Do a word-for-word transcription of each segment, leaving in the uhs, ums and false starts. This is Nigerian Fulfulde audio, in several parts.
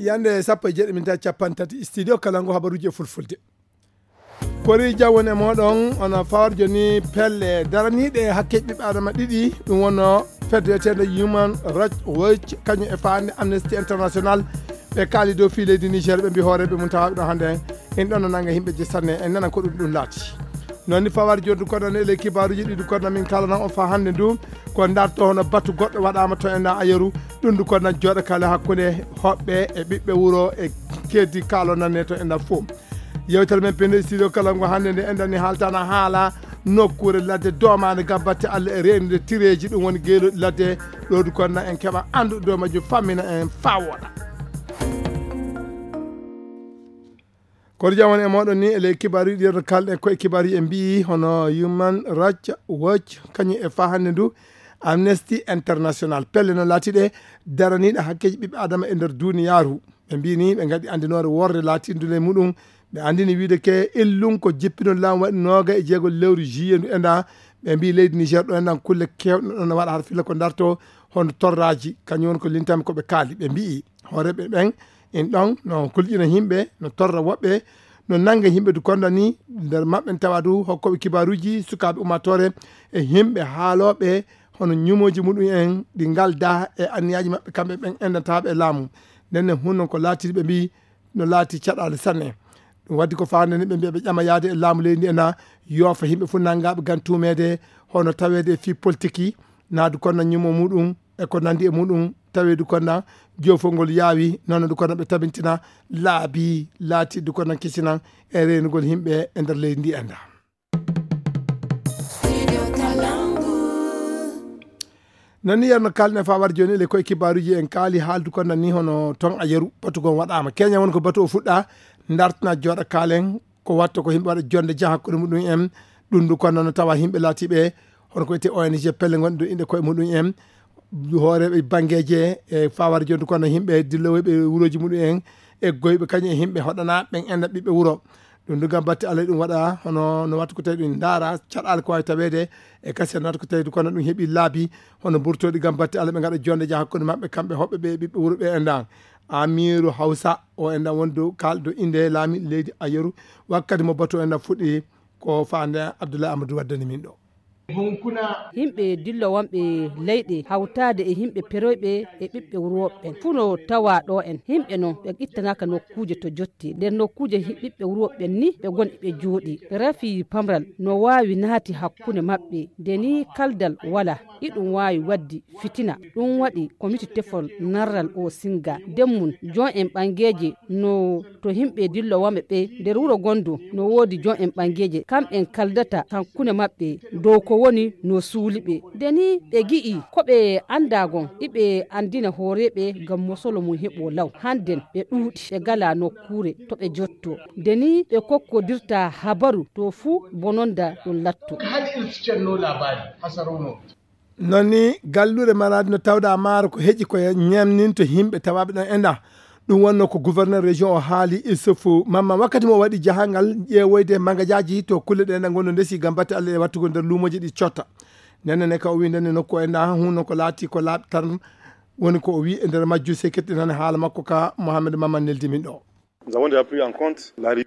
yande sappo e jeeɗi min ta capan tati studio Kalangu habaruji e fulfulde kori jawon e moɗon ono fawrjo ni pelle daraniɗe hakke ɓiɓɓe adama ɗiɗi ɗum wonno federated human rights watch kañum e fande Amnesty International ɓe kaali dow fi leydi Niger ɓe mbi hooreɓe mum tawaɓe ɗo hannde en ɗon no nanga yimɓe je sanne en nana ko ɗum ɗum laati noon ni fawar joddu koɗon ele kibaruji ɗiɗi koɗon min kalana on fa hannde ndu ko darto hono batu goɗɗo waɗama to en ayeru ɗum ndu koɗon jooɗo kala hakkude hoɓɓe e ɓiɓɓe wuro e keddi kaalo nanne to en fof yewtere men pende studio Kalangu hannde nde en dani haaltana haala nokkure ladde domade gabbatte Allah e reenude tireji ɗum woni geeloɗi ladde ɗo du koɗon en keɓa andude dow majjum fammina en fawoɗa kono jawon e moɗon ni ele kibaru ɗi kalɗen koye kibaru e mbi hono Human Rights Watch kañum e fa hannde ndu Amnesty International pelle no laatiɗe daraniɗe hakkeji ɓiɓɓe adama e nder duniyaru ɓe mbini ɓe gadi andinore worde laatindule muɗum ɓe andini wiide ke illum ko jippino laamu waɗi noga e jeegol lewru juillet ndu enda ɓe mbi leydi Niger ɗo endan kulle kewɗe ɗon waɗa har filla ko darto hono torraji kañum woni ko lintami koɓe kaali ɓe mbi hooreɓe ɓen in ɗon no kulƴina yimɓe no torra woɓɓe no nanga yimɓe du konda ni nder maɓɓe tawa du hokkoɓe kibaruji sukaɓe ummatore e yimɓe haaloɓe hono ñumoji muɗum en ɗi galda e anniyaji maɓɓe kamɓe ɓen endataɓe e laamu nden ne hunnon ko laatiɗi ɓe mbi no laati caɗale sanne ɗum waddi ko fande ni ɓe mbiya ɓe ƴama yaade e laamu leydi ena yoofa yimɓe fof nangaɓe gan tumede hono tawede e fi politique naadu konna ñumo muɗum e ko nandi e muɗum tawedu konna jofongol yaawi noon du konna ɓe tabintina laabi laati du konna kisinan e renugol yimɓe e nder leydi ndi enda nani yerno kalne fa war joni le koye kibaruji en kaali haaldu konna ni hono ton a yeru batu gon waɗama keña won ko batu o fuɗɗa dartana jooɗa kaalen ko watta ko yimɓe waɗa jonde jaa hakkude muɗum en ɗum du konna no tawa yimɓe laatiɓe hono ko wiyete O N G pelle gonɗe ɗo inde koye muɗum en hooreɓe banggueje e fawar jonde kono yimɓe dillowoɓe wuroji muɗum en e goyɓe kañum e yimɓe hoɗana ɓen enda ɓiɓɓe wuuro ɗum du gam batte Allah ɗum waɗa hono no watta ko tawi ɗum daara caɗale ko wawi tawede e kasi no watta ko tawi kono ɗum heeɓi laabi hono burtoɗi gam batte Allah ɓe gaɗa jonde jaa hakkude mabɓe kamɓe hoɓɓe ɓe ɓiɓɓe wuuro ɓe endan Amiru Hausa o endan wondu kalɗo inde laami leydi Ayeru wakkati mo batu endan fuɗɗi ko fande Abdoulaye Amadou waddani min ɗo yimɓe dillo wonɓe leyɗe hawtade e yimɓe peroyɓe e ɓiɓɓe wuroɓe funo tawa ɗo en yimɓe noon ɓe ittanaka nokkuje to jotti nder nokkuje ɓiɓɓe wuroɓe ni ɓe gonɗi ɓe jooɗi rafi pamral no wawi naati hakkude mabɓe nde ni kaldal wala iɗum wawi waddi fitina ɗum waɗi comité tefol narral o singa demmun jon en ɓangueje no to yimɓe dillo wonɓe ɓe nder wuuro gondu no woodi jon en ɓangueje kamɓen kaldata hakkude mabɓe dow ko woni no suuliɓe deni ɓe gi'i koɓe andagon iɓe andina hooreɓe gam mosolo mum heɓo law hannden ɓe ɗuuɗi ɓe gala nokkure to ɓe jotto deni ɓe kokkodirta habaru to fuu bononda ɗum latto nonni gallure maradi no tawɗa maaro ko heƴi koye ñamninto yimɓe tawaɓe ɗon enda ɗum wonno ko gouverneur région o haali isufu mamma wakkati mo waɗi jahangal ƴeewoyde magajaji to kulle ɗe gonno ndesi gam batte Allah e wattugo nder luumoji ɗi cotta nenne ka o wi ndenne nokku e nda hunno ko laati ko laaɓi tan woni ko o wi e nder majju se kettinane haala makko ka Mohamed Maman neldi min ɗo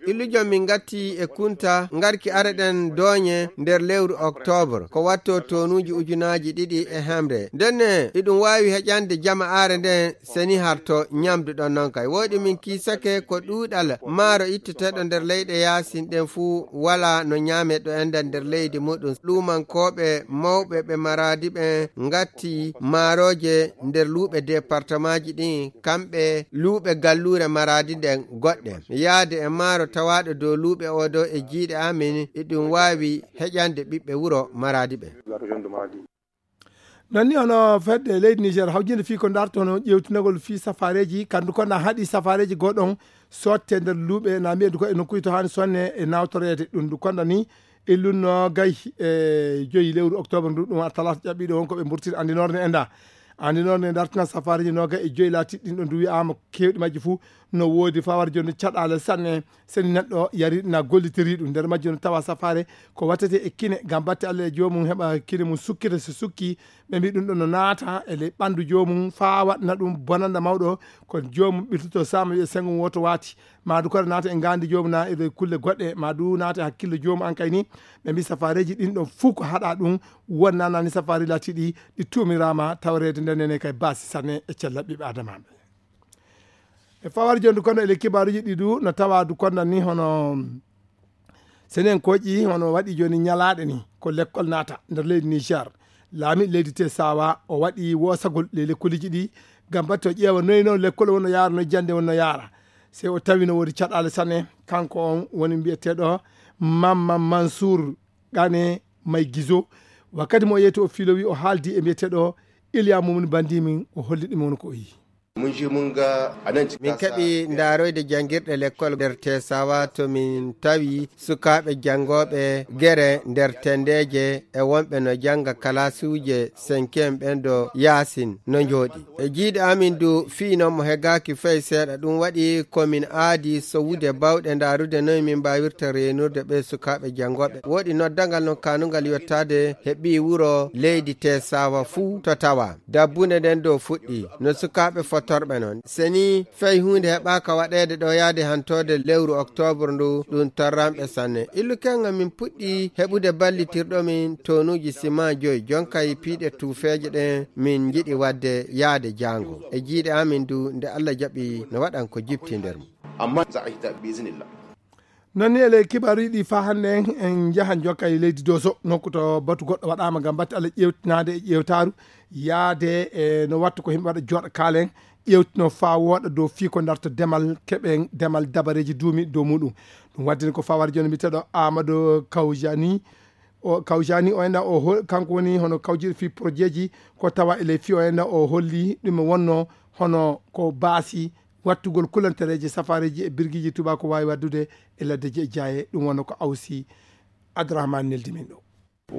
illujon min gatti e kunta garki areɗen doñe nder lewru octobre ko watto tonuji ujunaji ɗiɗi e hemre ndenne iɗum wawi heƴande jama are nden seni harto ñamdu ɗon noon kay woɗi min kisake ko ɗuɗal maaro itteteɗo nder leyɗe yasin ɗen fuu wala no ñame ɗo enden nder leydi muɗum ɗumankoɓe mawɓe ɓe maradi ɓe gatti maaroje nder luuɓe département ji ɗin kamɓe luuɓe gallure maradi ɗen goɗɗe yaade e maaro tawaɗo dow luuɓe o dow e jiiɗe amin iɗum wawi heƴande ɓiɓɓe wuro maradi ɓe nonni ono fedde leydi Niger hawjinde fi ko darto no ƴewtinagol fi safareji kandu konna haaɗi safareji goɗɗon sotte nder luuɓe na mbiyedu ko e nokkuji to hani sonne e nawtorede ɗum du konda ni illunno gay e joyi lewru octobre ndu ɗum talata ƴaɓɓiɗo won koɓe burtiri andinorde enda andi noon ne dartina safariji noga e joyi laatiɗi ɗin ɗo ndu wiyama kewɗi majji fuu no woodi fawar joni caɗale sanne seni neɗɗo yari na gollitiri ɗum nder majjo no tawa safare ko wattete e kine gam batte Allah e jomum heɓa kine mum sukkita so sukki ɓe mbi ɗum ɗo no naata e ley ɓandu jomum fa waɗna ɗum bonanda mawɗo ko jomum ɓirtoto sama wiye sengo woto wati madu koɗa naata e gandi jomum na e kulle goɗɗe madu naata e hakkille jomum an kay ni ɓe mbi safareji ɗin ɗon fuu ko haɗa ɗum wonnanani safari latiɗi ɗi tumirama tawrede ndennene kay basi sanne e cella ɓiɓe adamaɓe e fawar jondu kono ele kibaruji ɗi du no tawa du konnan ni hono senen koƴƴi hono waɗi joni ñalaɗe ni ko lekkol naata nder leydi Niger laami leydi te sawa o waɗi wosagol le lekkoliji ɗi gam batte o ƴeewa noyi noon lekkol wonno yaara no jande wonno yaara se o tawi no woodi caɗale sanne kanko on woni mbiyeteɗo Mamma Mansour Gane May Gizo wakkati mo yeeti o filowi o haaldi e mbiyeteɗo Iliya Mumni Bandimin o holli ɗum won ko o yi min keɓi ndaroyde jangirɗe l'école nder Tesawa to min tawi sukaɓe jangoɓe gere nder tendeje e wonɓe no janga kalasuje cinquiéme ɓen do yasin no jooɗi e jiiɗe amin du fiino mo hegaki fey seeɗa ɗum waɗi komin aadi sowude bawɗe ndarude noyi min mbawirta renurde ɓe sukaɓe jangoɓe woɗi noddagal no kanugal yottade heɓi wuro leydi Tesawa fuu to tawa dabbunde nden do fuɗɗi no sukaɓe fot torɓe noon seni fey hunde heɓaka waɗede ɗo yaade hantode lewru octobre ndu ɗum torramɓe sanne illu kenga min puɗɗi heɓude ballitirɗo min tonuji ciment joyi jonkay piiɗe tuufeje ɗen min jiɗi wadde yaade jango e jiiɗe amin du nde Allah jaɓi no waɗan ko jipti nder mum amma za a hita bisinillah nonni ele kibaru ɗi fa hande en jahan jokka e leydi Doso nokku to batu goɗɗo waɗama gam batte Allah ƴewtinade e ƴewtaru yaade e no wattu ko himɓe waɗa joɗa kaalen ƴewtino fa woɗa dow fi ko darta demal keɓe demal dabareji duumi dow muɗum ɗum waddini ko fawar joni mbiteɗo Amadou Kawjani o Kawjani o enda o kanko woni hono kawjiɗo fi projet ji ko tawa ele fi o enda o holli ɗum wonno hono ko baasi wattugol kulantereji safareji e birguiji tuba ko wawi waddude e laddeji e jaye ɗum wonno ko awsi Abdourahmane neldi min ɗo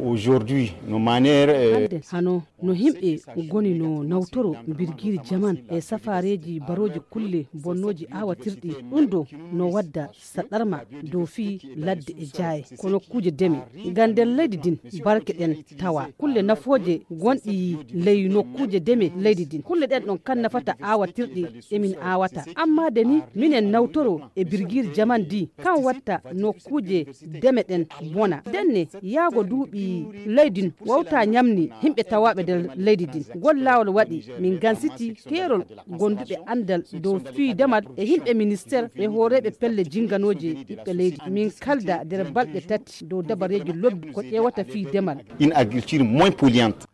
aujourd'hui no maniére hande hano no himɓe goni no nawtoro birgiri jaman e safareji baroji kulle bonnoji awatirɗi ɗum do no wadda saɗɗarma dow fi ladde e jaaye kono kuje deme ngam nder leydi din barke ɗen tawa kulle nafoje gonɗi ley nokkuje deme leydi din kulle ɗen ɗon kan nafata awatirɗi emin awata amma deni minen nawtoro e birgiri jaman di kan watta nokkuje deme ɗen bona denne yaago duuɓi leydin wawta ñamni himɓe tawaɓe nder leydi din gol lawol waɗi min gansiti keerol gonduɓe andal dow fii demal e himɓe ministére e hooreɓe pelle jinganoje ɓiɓɓe leydi min kalda nder balɗe tati dow dabareji lobbi ko ƴewata fii demal une agriculture moins polluante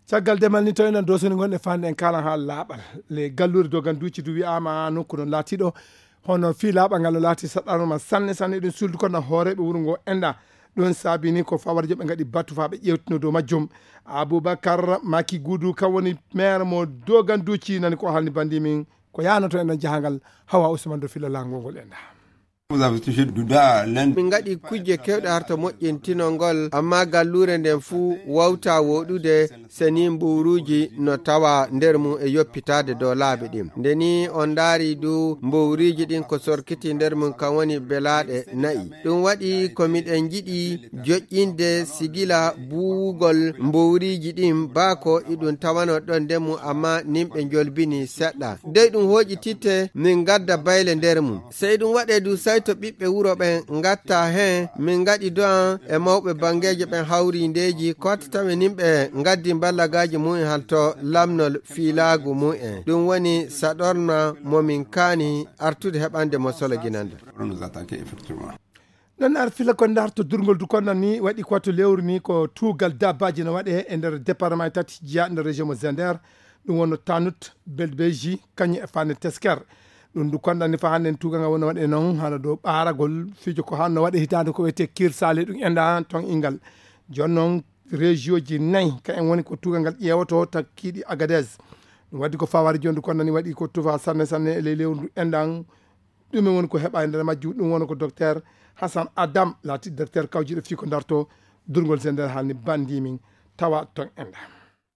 caggal demal ni tawi nan dosoni gonɗe fande en kalan ha laaɓal le gallure dogan duuci du wiyama nokku non laatiɗo hono fii laaɓal ngal no laati saɗɗanoma sanne sanne ɗum suldu kono hooreɓe wuuro ngo enda ɗon saabi ni ko fawarjo ɓe gaɗi battu fa ɓe ƴewtino dow majjum Aboubacar Maki Goudou kam woni maire mo dogan duuci nani ko halni bandi min ko yanoto en ɗon jahangal Hawa Ousmane do filla langol ngol enda min gaɗi kujje kewɗe harto moƴƴintinol amma gallure nden fuu wawta woɗude seni mbowruji no tawa nder mum e yoppitade dow laabi ɗin ndeni on daari du mbowriji ɗin ko sorkiti nder mum kam woni belaɗe nayi ɗum waɗi komiɗen jiɗi joƴƴinde sigila buwugol mbowriji ɗin bako iɗum tawano ɗon nder mum amma nimɓe jolbini seɗɗa dey ɗum hoƴƴititte min gadda bayle nder mum sey ɗum waɗe du to ɓiɓɓe wuro ɓen gatta hen min gaɗi do'an e mawɓe bangeje ɓen hawri ndeji kotta tawi nimɓe gaddi ballagaji mumen halto lamnol filagu mumen ɗum woni saɗorna momin kaani artude heɓande mo solo guinande non ar fila ko darto durgol du konnan ni waɗi koto lewru ni ko tugal dabbaji no waɗe e nder département tati jiya nder région mo Zender ɗum wonno Tanut Belbeji kañum e Fane Tesker ɗum du kondani fa hande tugal ngal wonno waɗe noon hana dow ɓaragol fijo ko hanno waɗe hitande ko wiyete kirsale ɗum enda ton ingal joni noon région ji nayyi ka en woni ko tugal ngal ƴewoto takkiɗi Agadez ɗum waddi ko fawari joni du kondani waɗi ko tufa sanne sanne e ley lewru endan ɗumen woni ko heɓa e nder majju ɗum woni ko docteur Hassan Adam laati docteur kawjiɗo fi ko darto durgol Zender halni bandimin tawa ton enda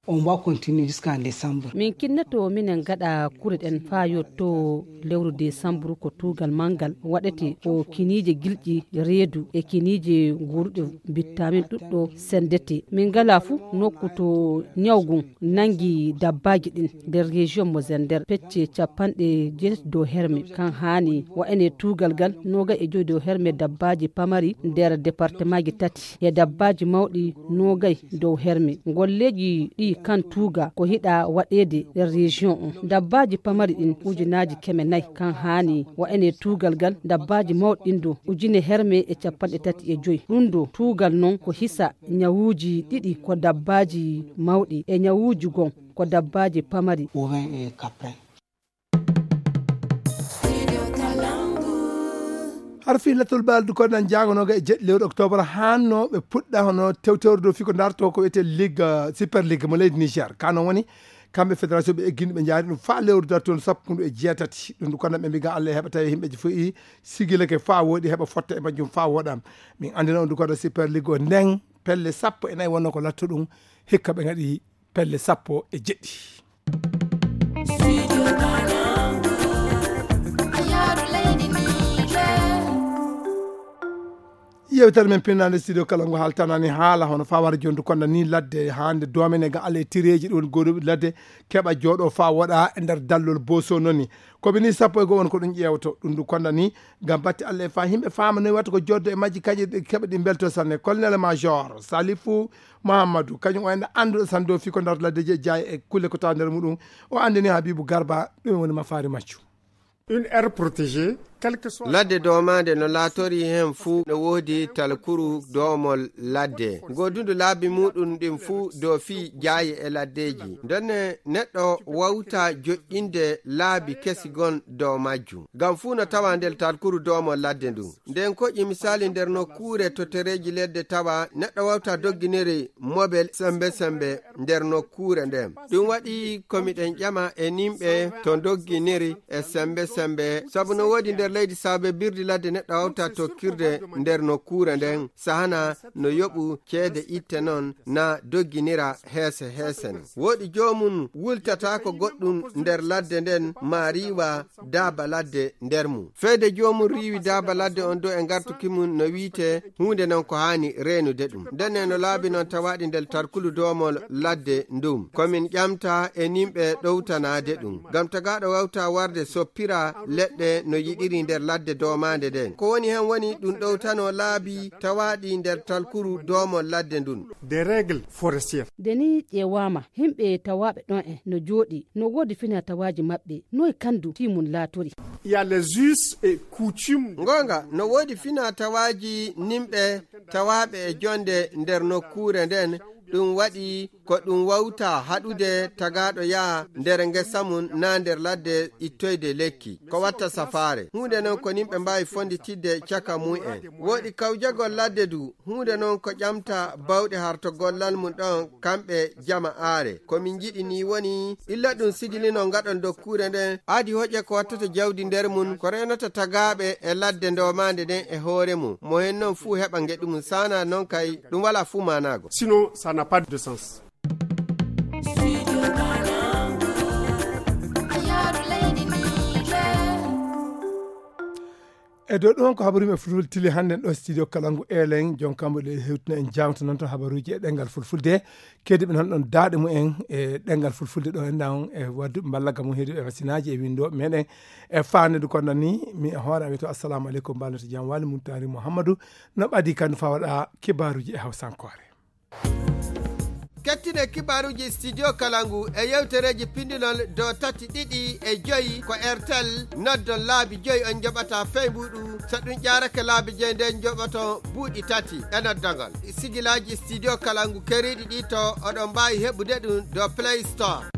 on va continuer jusqu'en décembre. Min kinnato minen gada kureden fayo to lewru décembre ko tugal mangal wadati o kinije gilji reedu e kinije gurde vitamin duddo sendete min gala fu nokku to nyawgun nangi dabbaji din der region mo zender pecce capande jet do herme kan hani wa ene tugal gal noga e jodo herme dabbaji pamari der département gi tati e dabbaji mawdi nogay do herme golleji di kan tuga ko hida wadede der region on dabbaji pamari din ujunaji keme nay kan hani wa ene tugal gal dabbaji mawdindo ujine herme e capande tati e joy rundo tugal non ko hisa nyawuji didi ko dabbaji mawdi e nyawuji gon ko dabbaji pamari ovin e caprin. har fihlatul baldu ko dan jangonoga e jeɗɗi lewru octobre hanno ɓe puɗɗa hono tewtewre dow fiko darto ko wiyete ligue super ligue mo leydi niger kano woni kamɓe fédération ɓe eggini ɓe jaari ɗum fa lewru dartol sappo e jeetati ɗum kono ɓe mbiga Allah heɓa tawi yimɓeji fof sigilake fa woodi heɓa fotta e majjum fa woɗam min andina on du koɗo super ligue o nden pelle sappo e nayyi wonno ko latto ɗum hikka ɓe gaɗi pelle sappo e jeɗɗi. yewtere men pinnande studio kala ngo haltanani haala hono fawara jondu kono ni ladde hande domene ga ale tireji ɗon goɗo ladde keɓa jooɗo fa woɗa e nder dallol boso noni koɓe ni sappo e go won ko ɗum ƴewto ɗum du kono ni gam batti Allah e fa yimɓe fama no watta ko joddo e majji kaƴi keɓa ɗi belto sanne colonel major Salifou Mahamadou kañum o enda anduɗo san dow fi ko nder ladde je jaay e kulle ko taw nder muɗum o andini Habibou Garba ɗum woni mafari maccu. Une aire protégée, quel que soit... ladde domade no laatori hen fuu no woodi talkuru domol ladde godundu laabi muɗum ɗin fuu dow fi jaayi e laddeji ndenne neɗɗo wawta joƴƴinde laabi kesi gon dow majjum ngam fuu no tawa nder talkuru domol ladde ndu nden koƴƴi misali nder nokkure to tereji ledde tawa neɗɗo wawta dogginiri mobel sembe sembe nder nokkure nden ɗum waɗi komiɗen ƴama e nimɓe to dogginiri e sembe sembe sabu no woodi nder leydi saabe birdi ladde neɗɗo wawta tokkirde nder nokkure nden sahana no yoɓu ceede itte noon na dogginira heese heesen woodi jomum wultata ko goɗɗum nder ladde nden ma riiwa daaba ladde nder mum feede jomum riiwi daaba ladde on do e gartuki mum no wiite hunde non ko hani reenude ɗum ndenne no laabi noon tawaɗi nder tarkulu domol ladde ndum komin ƴamta e nimɓe ɗowtanade ɗum ngam tagaɗo wawta warde soppira leɗɗe no yiɗiri nder ladde domande nden ko woni hen woni ɗum ɗowtano laabi tawaɗi nder talkuru domol ladde ndun des règles forestières. deni ƴewama himɓe tawaɓe ɗon en no jooɗi no woodi fina tawaji maɓɓe noye kandu timum laatori. Il y a les us et coutumes. Ngonga no woodi fina tawaji nimɓe tawaɓe e jonde nder nokkure nden ɗum waɗi ko ɗum wawta haɗude tagaɗo yaa nder ngesa mum na nder ladde ittoyde lekki ko watta safare hunde noon ko nimɓe mbawi fonditidde caka mu'en woɗi kawjagol ladde du hunde noon ko ƴamta bawɗe harto gollal mum ɗon kamɓe jama aare komin jiɗi ni woni illa ɗum sigilino ngaɗon dokkure nden aadi hoƴe ko wattata jawdi nder mum ko renata tagaɓe e ladde ndomande nden e hoore mum mo hen noon fuu heɓa ngeɗumum sana noon kay ɗum wala fuu manago sinon ça n'a pas de sens. e dow ɗon ko habaruji e fulfulde tili hannde ɗo studio kalangu elen jonkamɓe ɗe hewtina en jawta noon to habaruji e ɗengal fulfulde kediɓe noon ɗon daaɗe mumen e ɗengal fulfulde ɗo en ɗan e wadduɓe ballaga mum heedi e wasinaji e windoɓe meɗen e fanede kono ni mi e hoore am to assalamu aleykum mbalnata jam wali Muntari Mouhamadou no ɓadi kandi fa waɗa kibaruji e hawsankore. kettine kibaruji studio kalangu e yewtereji pindinol do tati ɗiɗi e joyi ko airtel noddon laabi joyi on joɓata feymuɗu so ɗum ƴarake laabi joyi nden joɓoto buuɗi tati e noddogol sigilaji studio kalangu keriɗi ɗi to oɗon mbawi heɓude ɗum do play store.